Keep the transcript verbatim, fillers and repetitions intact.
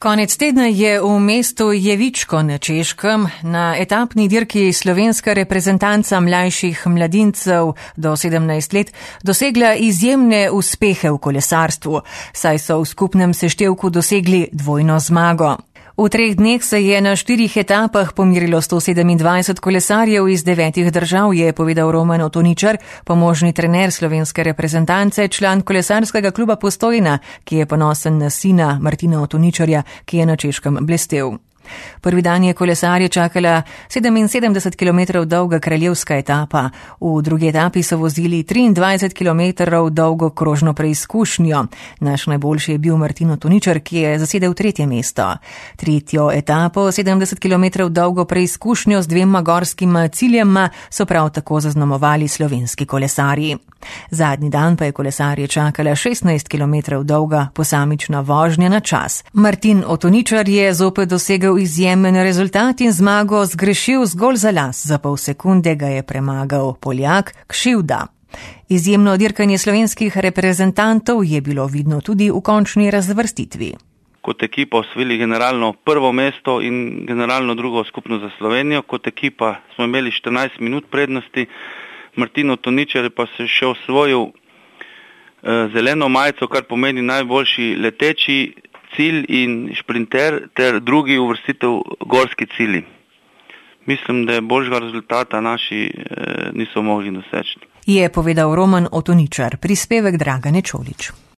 Konec tedna je v mestu Jevičko na Češkem na etapni dirki slovenska reprezentanca mlajših mladincev do sedemnajst let dosegla izjemne uspehe v kolesarstvu, saj so v skupnem seštevku dosegli dvojno zmago. V treh dneh se je na štirih etapah pomirilo sto sedemindvajset kolesarjev iz devetih držav, je povedal Roman Otoničar, pomožni trener slovenske reprezentance, član kolesarskega kluba Postojna, ki je ponosen na sina Martina Otoničarja, ki je na Češkem blestel. Prvi dan je kolesarje čakala sedeminsedemdeset kilometrov dolga kraljevska etapa. V drugi etapi so vozili triindvajset kilometrov dolgo krožno preizkušnjo. Naš najboljši je bil Martin Otoničar, ki je zasedel tretje mesto. Tretjo etapo, sedemdeset kilometrov dolgo preizkušnjo z dvema gorskima ciljema, so prav tako zaznamovali slovenski kolesarji. Zadnji dan pa je kolesarje čakala šestnajst kilometrov dolga posamična vožnja na čas. Martin Otoničar je zopet dosegel izjemen rezultat in zmago zgrešil zgolj za las. Za pol sekunde ga je premagal Poljak Kšivda. Izjemno dirkanje slovenskih reprezentantov je bilo vidno tudi v končni razvrstitvi. Kot ekipa osvojili generalno prvo mesto in generalno drugo skupno za Slovenijo. Kot ekipa smo imeli štirinajst minut prednosti. Martin Otoničar pa se še osvojil eh, zeleno majico, kar pomeni najboljši leteči cilj in šprinter ter drugi uvrstitev gorski cilji. Mislim, da je boljšega rezultata naši eh, niso mogli doseči. Je povedal Roman Otoničar, prispevek Dragane Čolić.